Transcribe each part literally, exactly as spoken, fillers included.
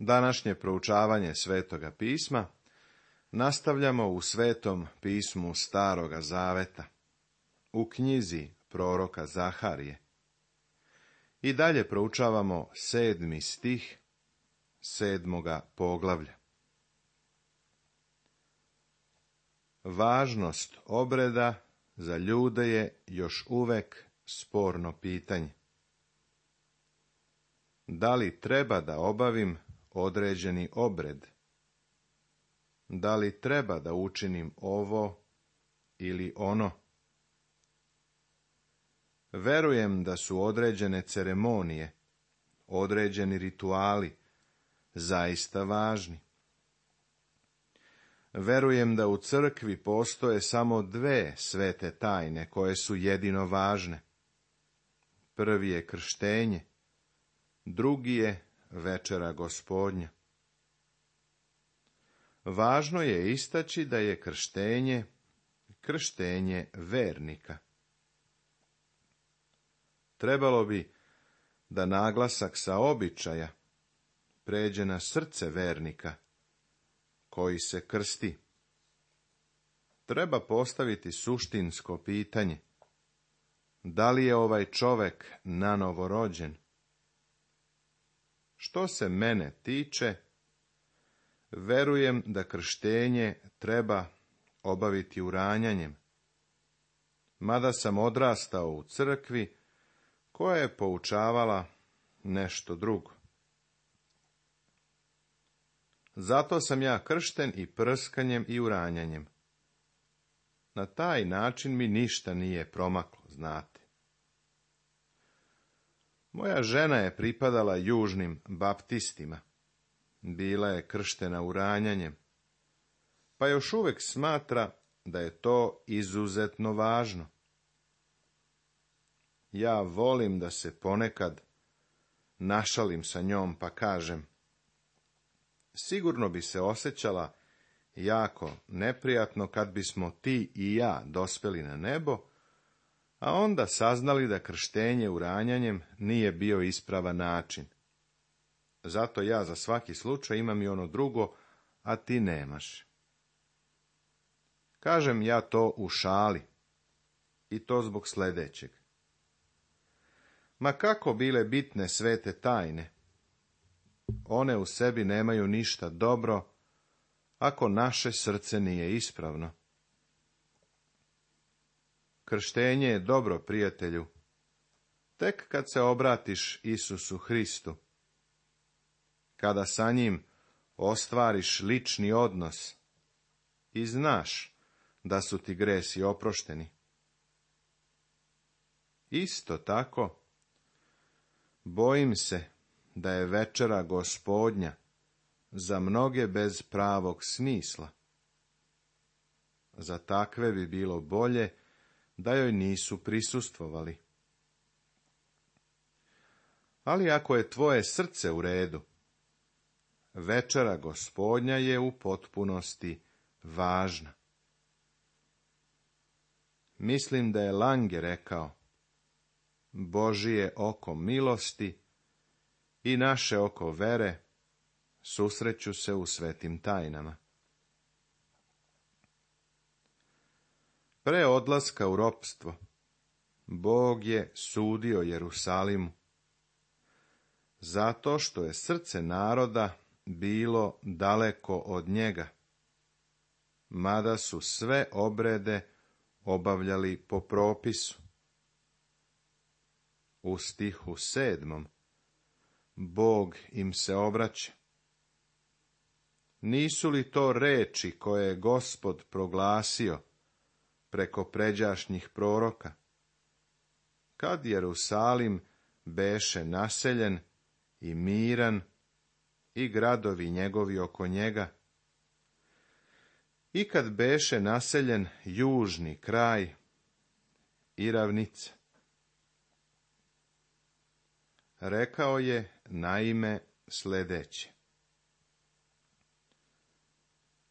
Današnje proučavanje Svetoga pisma nastavljamo u Svetom pismu Staroga Zaveta, u knjizi proroka Zaharije. I dalje proučavamo sedmi stih sedmoga poglavlja. Važnost obreda za ljude je još uvek sporno pitanje. Da li treba da obavim određeni obred? Da li treba da učinim ovo ili ono? Verujem da su određene ceremonije, određeni rituali zaista važni. Verujem da u crkvi postoje samo dve svete tajne koje su jedino važne. Prvi je krštenje, drugi je večera Gospodnja. Važno je istaći da je krštenje krštenje vernika. Trebalo bi da naglasak sa običaja pređe na srce vernika koji se krsti. Treba postaviti suštinsko pitanje: da li je ovaj čovek nanovo rođen? Što se mene tiče, verujem da krštenje treba obaviti uranjanjem, mada sam odrastao u crkvi koja je poučavala nešto drugo. Zato sam ja kršten i prskanjem i uranjanjem. Na taj način mi ništa nije promaklo, znate. Moja žena je pripadala južnim baptistima. Bila je krštena uranjanjem, pa još uvek smatra da je to izuzetno važno. Ja volim da se ponekad našalim sa njom pa kažem: sigurno bi se osjećala jako neprijatno kad bismo ti i ja dospeli na nebo, a onda saznali da krštenje uranjanjem nije bio ispravan način. Zato ja za svaki slučaj imam i ono drugo, a ti nemaš. Kažem ja to u šali, i to zbog sljedećeg. Ma kako bile bitne svete tajne, one u sebi nemaju ništa dobro ako naše srce nije ispravno. Krštenje je dobro, prijatelju, tek kad se obratiš Isusu Hristu, kada sa njim ostvariš lični odnos i znaš da su ti gresi oprošteni. Isto tako, bojim se da je večera Gospodnja za mnoge bez pravog smisla. Za takve bi bilo bolje da joj nisu prisustvovali. Ali ako je tvoje srce u redu, večera Gospodnja je u potpunosti važna. Mislim da je Lange rekao: Božije oko milosti i naše oko vere susreću se u svetim tajnama. Pre odlaska u ropstvo, Bog je sudio Jerusalimu, zato što je srce naroda bilo daleko od njega, mada su sve obrede obavljali po propisu. U stihu sedmom Bog im se obraća. Nisu li to reči koje je Gospod proglasio preko pređašnjih proroka, kad Jerusalim beše naseljen i miran i gradovi njegovi oko njega, i kad beše naseljen južni kraj i ravnica? Rekao je naime sljedeće: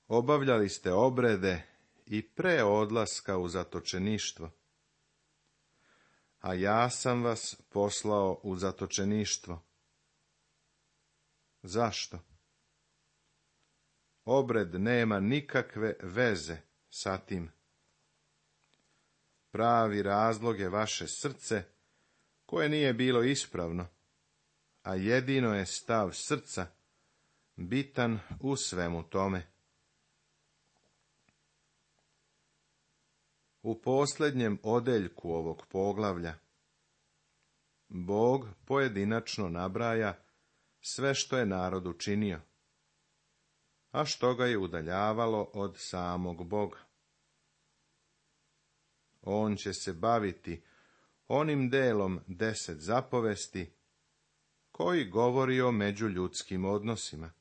obavljali ste obrede i pre odlaska u zatočeništvo, a ja sam vas poslao u zatočeništvo. Zašto? obred nema nikakve veze sa tim. Pravi razlog je vaše srce, koje nije bilo ispravno, a jedino je stav srca bitan u svemu tome. U posljednjem odeljku ovog poglavlja Bog pojedinačno nabraja sve što je narod učinio, a što ga je udaljavalo od samog Boga. On će se baviti onim delom deset zapovesti koji govori o međuljudskim odnosima.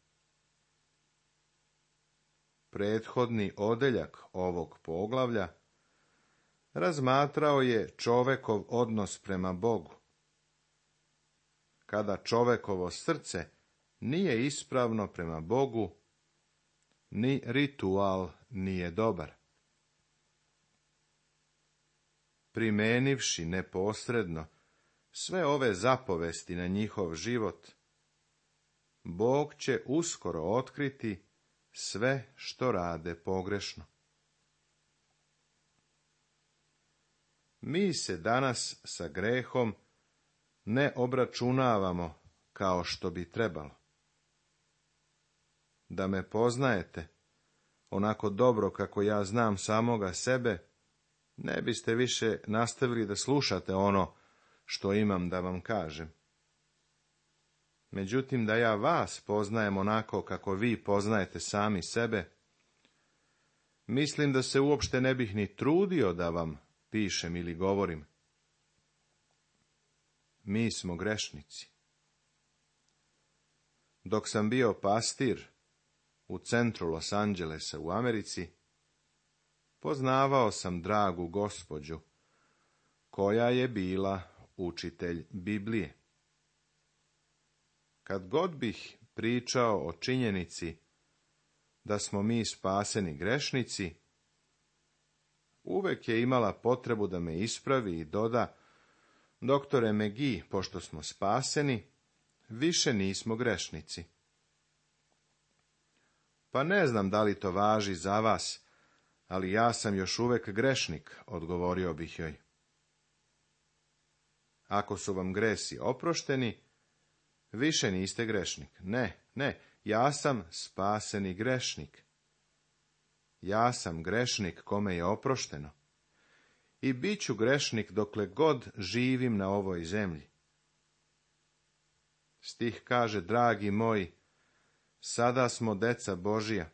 Prethodni odeljak ovog poglavlja razmatrao je čovekov odnos prema Bogu. Kada čovekovo srce nije ispravno prema Bogu, ni ritual nije dobar. Primenivši neposredno sve ove zapovesti na njihov život, Bog će uskoro otkriti sve što rade pogrešno. Mi se danas sa grehom ne obračunavamo kao što bi trebalo. Da me poznajete onako dobro kako ja znam samoga sebe, ne biste više nastavili da slušate ono što imam da vam kažem. Međutim, da ja vas poznajem onako kako vi poznajete sami sebe, mislim da se uopšte ne bih ni trudio da vam pišem ili govorim. Mi smo grešnici. Dok sam bio pastir u centru Los Angelesa u Americi, poznavao sam dragu gospođu, koja je bila učitelj Biblije. Kad god bih pričao o činjenici da smo mi spaseni grešnici, uvek je imala potrebu da me ispravi i doda: doktore McGee, pošto smo spaseni, više nismo grešnici. Pa ne znam da li to važi za vas, ali ja sam još uvek grešnik, odgovorio bih joj. Ako su vam gresi oprošteni, više niste grešnik. Ne, ne, ja sam spaseni grešnik. Ja sam grešnik kome je oprošteno. I bit ću grešnik dokle god živim na ovoj zemlji. Stih kaže: dragi moji, sada smo deca Božija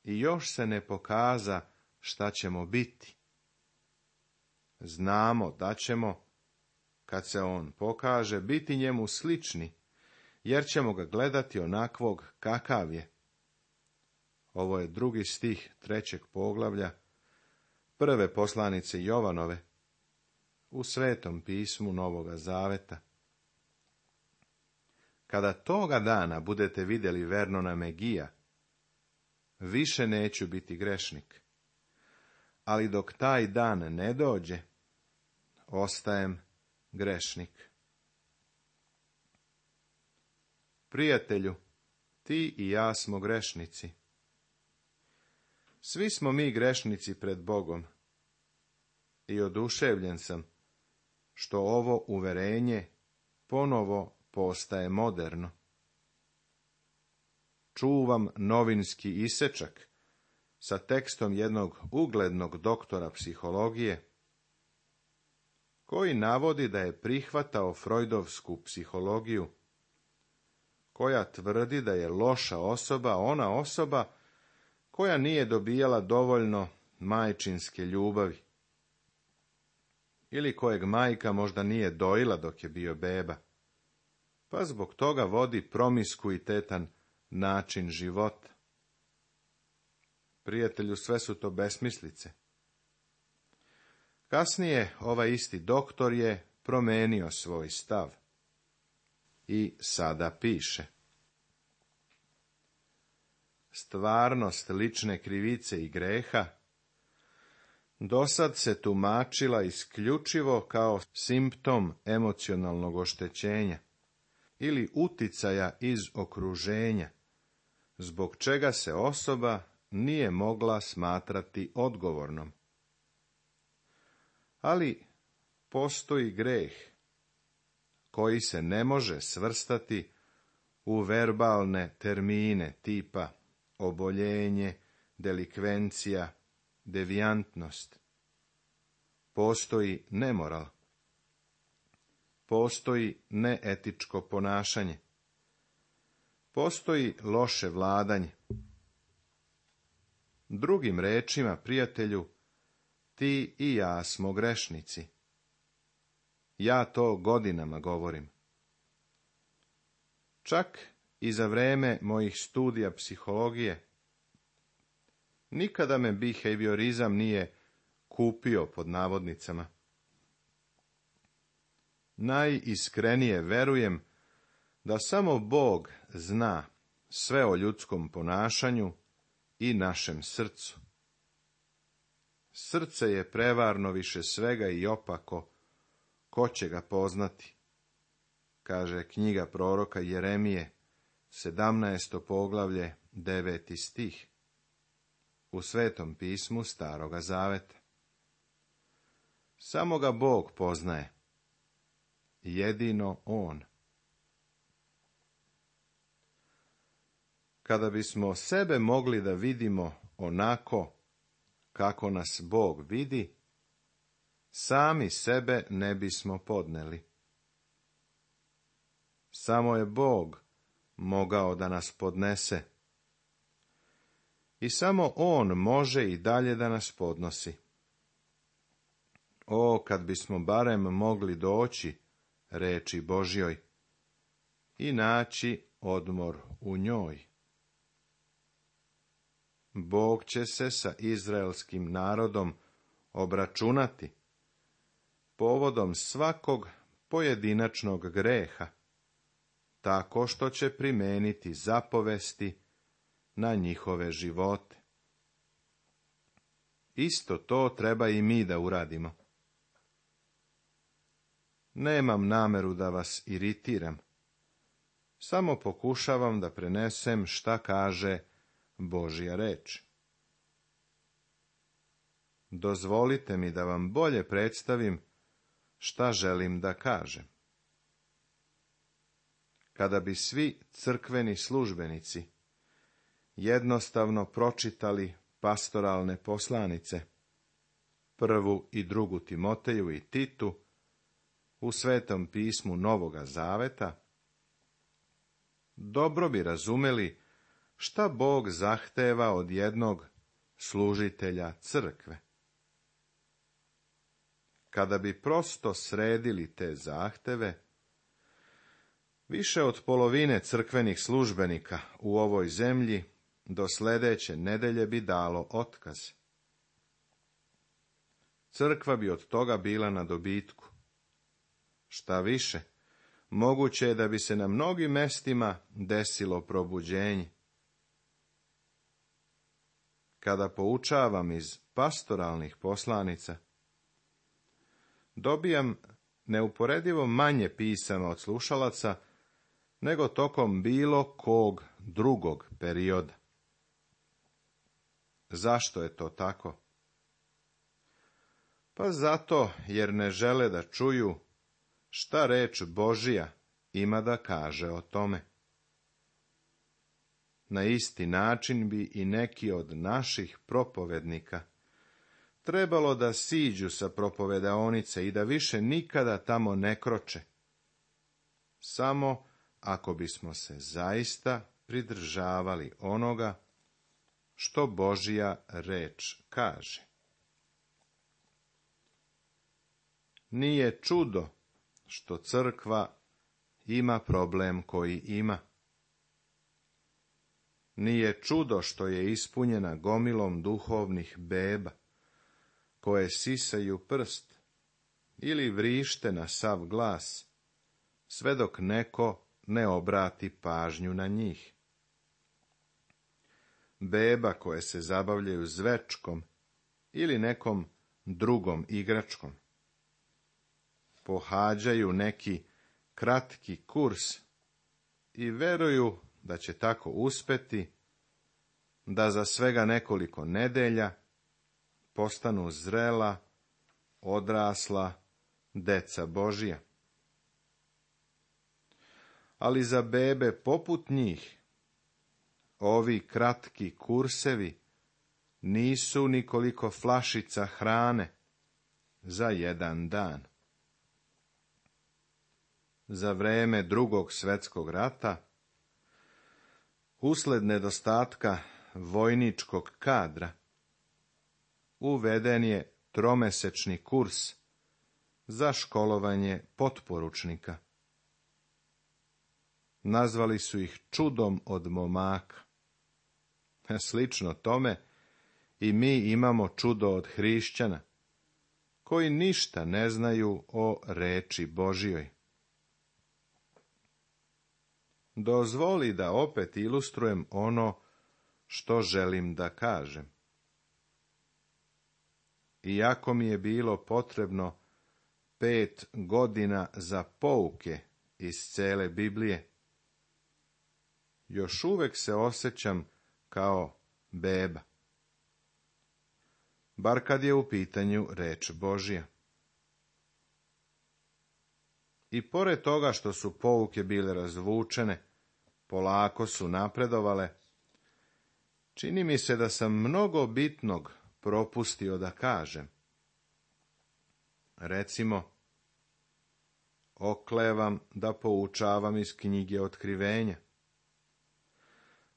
i još se ne pokaza šta ćemo biti. Znamo da ćemo, kad se on pokaže, biti njemu slični, jer ćemo ga gledati onakvog kakav je. Ovo je drugi stih trećeg poglavlja prve poslanice Jovanove u Svetom pismu Novoga Zaveta. Kada toga dana budete vidjeli Vernona McGee-a, više neću biti grešnik. Ali dok taj dan ne dođe, ostajem grešnik. Prijatelju, ti i ja smo grešnici. Svi smo mi grešnici pred Bogom. I oduševljen sam što ovo uverenje ponovo postaje moderno. Čuvam novinski isečak sa tekstom jednog uglednog doktora psihologije, koji navodi da je prihvatao Freudovsku psihologiju, koja tvrdi da je loša osoba ona osoba koja nije dobijala dovoljno majčinske ljubavi, ili kojeg majka možda nije dojila dok je bio beba, pa zbog toga vodi promiskuitetan način života. Prijatelju, sve su to besmislice. Kasnije ovaj isti doktor je promenio svoj stav i sada piše: stvarnost lične krivice i greha dosad se tumačila isključivo kao simptom emocionalnog oštećenja ili uticaja iz okruženja, zbog čega se osoba nije mogla smatrati odgovornom. Ali postoji greh koji se ne može svrstati u verbalne termine tipa oboljenje, delikvencija, devijantnost. Postoji nemoral. Postoji neetičko ponašanje. Postoji loše vladanje. Drugim rečima, prijatelju, ti i ja smo grešnici. Ja to godinama govorim. Čak i za vreme mojih studija psihologije, nikada me behaviorizam nije kupio pod navodnicama. Najiskrenije verujem da samo Bog zna sve o ljudskom ponašanju i našem srcu. Srce je prevarno više svega i opako, ko će ga poznati, kaže knjiga proroka Jeremije, sedamnaesto poglavlje, deveti stih, u Svetom pismu Staroga Zaveta. Samo ga Bog poznaje, jedino On. Kada bismo sebe mogli da vidimo onako kako nas Bog vidi, sami sebe ne bismo podneli. Samo je Bog mogao da nas podnese. I samo On može i dalje da nas podnosi. O, kad bismo barem mogli doći reči Božjoj i naći odmor u njoj. Bog će se sa izraelskim narodom obračunati povodom svakog pojedinačnog greha, tako što će primeniti zapovesti na njihove živote. Isto to treba i mi da uradimo. Nemam nameru da vas iritiram, samo pokušavam da prenesem šta kaže Božja reč. Dozvolite mi da vam bolje predstavim šta želim da kažem. Kada bi svi crkveni službenici jednostavno pročitali pastoralne poslanice, prvu i drugu Timoteju i Titu, u Svetom pismu Novoga Zaveta, dobro bi razumeli šta Bog zahteva od jednog služitelja crkve. Kada bi prosto sredili te zahteve, više od polovine crkvenih službenika u ovoj zemlji do sledeće nedelje bi dalo otkaz. Crkva bi od toga bila na dobitku. Šta više, moguće je da bi se na mnogim mestima desilo probuđenje. Kada poučavam iz pastoralnih poslanica, dobijam neuporedivo manje pisama od slušalaca nego tokom bilo kog drugog perioda. Zašto je to tako? Pa zato jer ne žele da čuju šta reč Božija ima da kaže o tome. Na isti način bi i neki od naših propovednika trebalo da siđu sa propovedaonice i da više nikada tamo ne kroče. Samo ako bismo se zaista pridržavali onoga što Božja reč kaže. Nije čudo što crkva ima problem koji ima. Nije čudo što je ispunjena gomilom duhovnih beba, koje sisaju prst ili vrište na sav glas, sve dok neko ne obrati pažnju na njih. Beba koje se zabavljaju zvečkom ili nekom drugom igračkom. Pohađaju neki kratki kurs i veruju da će tako uspeti da za svega nekoliko nedelja postanu zrela, odrasla deca Božja. Ali za bebe poput njih, ovi kratki kursevi nisu nikoliko flašica hrane za jedan dan. Za vreme Drugog svjetskog rata, usled nedostatka vojničkog kadra, uveden je tromesečni kurs za školovanje potporučnika. Nazvali su ih čudom od momaka. Slično tome i mi imamo čudo od hrišćana, koji ništa ne znaju o reči Božjoj. Dozvoli da opet ilustrujem ono što želim da kažem. Iako mi je bilo potrebno pet godina za pouke iz cele Biblije, još uvek se osjećam kao beba. Bar kad je u pitanju reč Božja. I pored toga što su pouke bile razvučene, polako su napredovale, čini mi se da sam mnogo bitnog propustio da kažem. Recimo, oklevam da poučavam iz knjige Otkrivenja,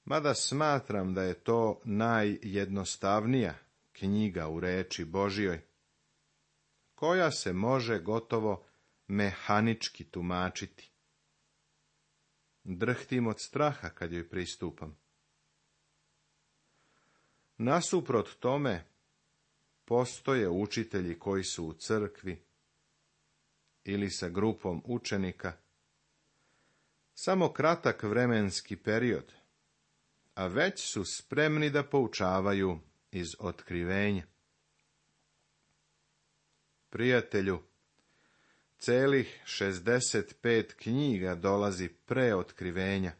mada smatram da je to najjednostavnija knjiga u reči Božjoj, koja se može gotovo mehanički tumačiti. Drhtim od straha kad joj pristupam. Nasuprot tome, postoje učitelji koji su u crkvi ili sa grupom učenika samo kratak vremenski period, a već su spremni da poučavaju iz Otkrivenja. Prijatelju, celih šezdeset pet knjiga dolazi pre Otkrivenja,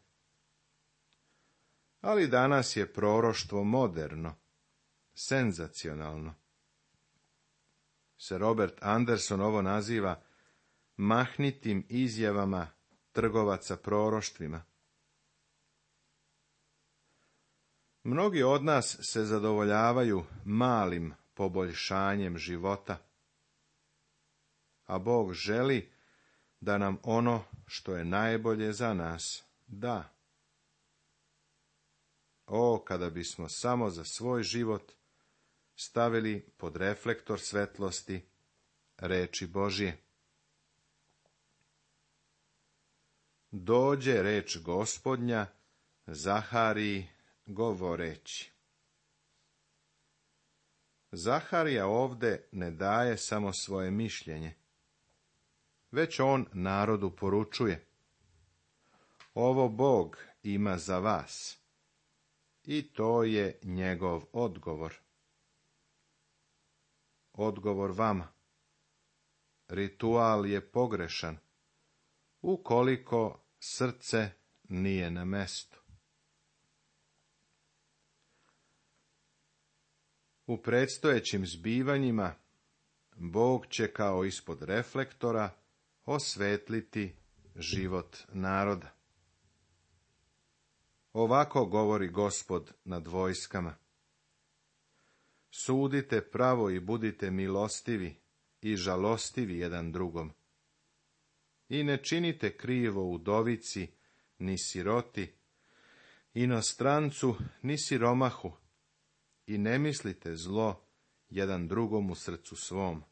ali danas je proroštvo moderno, senzacionalno. Sir Robert Anderson ovo naziva mahnitim izjavama trgovaca proroštvima. Mnogi od nas se zadovoljavaju malim poboljšanjem života, a Bog želi da nam ono što je najbolje za nas da. O, kada bismo samo za svoj život stavili pod reflektor svetlosti reči Božje. Dođe reč Gospodnja Zahariji govoreći. Zaharija ovde ne daje samo svoje mišljenje, već on narodu poručuje: ovo Bog ima za vas. I to je njegov odgovor. Odgovor vama. Ritual je pogrešan, ukoliko srce nije na mestu. U predstojećim zbivanjima Bog će kao ispod reflektora osvetliti život naroda. Ovako govori Gospod nad vojskama: sudite pravo i budite milostivi i žalostivi jedan drugom. I ne činite krivo udovici, ni siroti, inostrancu, ni siromahu, i ne mislite zlo jedan drugom u srcu svom.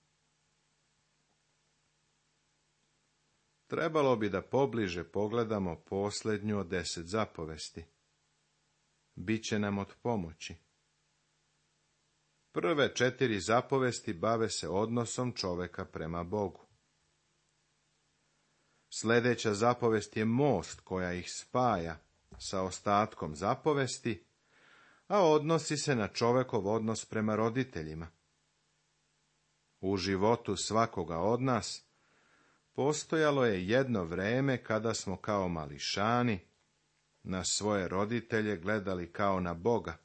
Trebalo bi da pobliže pogledamo posljednju od deset zapovesti. Biće nam od pomoći. Prve četiri zapovesti bave se odnosom čoveka prema Bogu. Sljedeća zapovest je most koja ih spaja sa ostatkom zapovesti, a odnosi se na čovekov odnos prema roditeljima. U životu svakoga od nas postojalo je jedno vreme kada smo kao mališani na svoje roditelje gledali kao na Boga,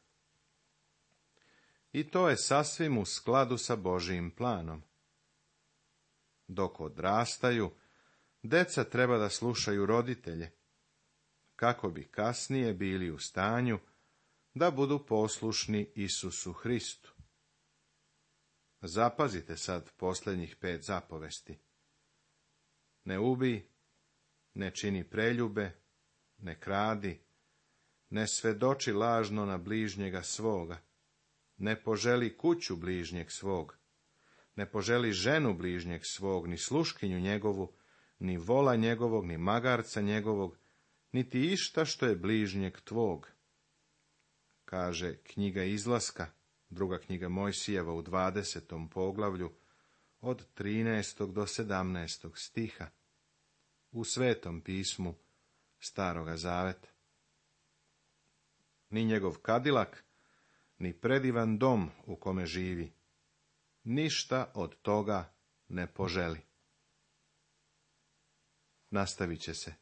I to je sasvim u skladu sa Božijim planom. Dok odrastaju, deca treba da slušaju roditelje, kako bi kasnije bili u stanju da budu poslušni Isusu Hristu. Zapazite sad posljednjih pet zapovesti. Ne ubij, ne čini preljube, ne kradi, ne svedoči lažno na bližnjega svoga, ne poželi kuću bližnjeg svog, ne poželi ženu bližnjeg svog, ni sluškinju njegovu, ni vola njegovog, ni magarca njegovog, niti išta što je bližnjeg tvog. Kaže knjiga Izlaska, druga knjiga Mojsijeva u dvadesetom poglavlju, od trinaestog do sedamnaestog stiha, u Svetom pismu Staroga Zaveta. Ni njegov kadilak, ni predivan dom u kome živi, ništa od toga ne poželi. Nastavit će se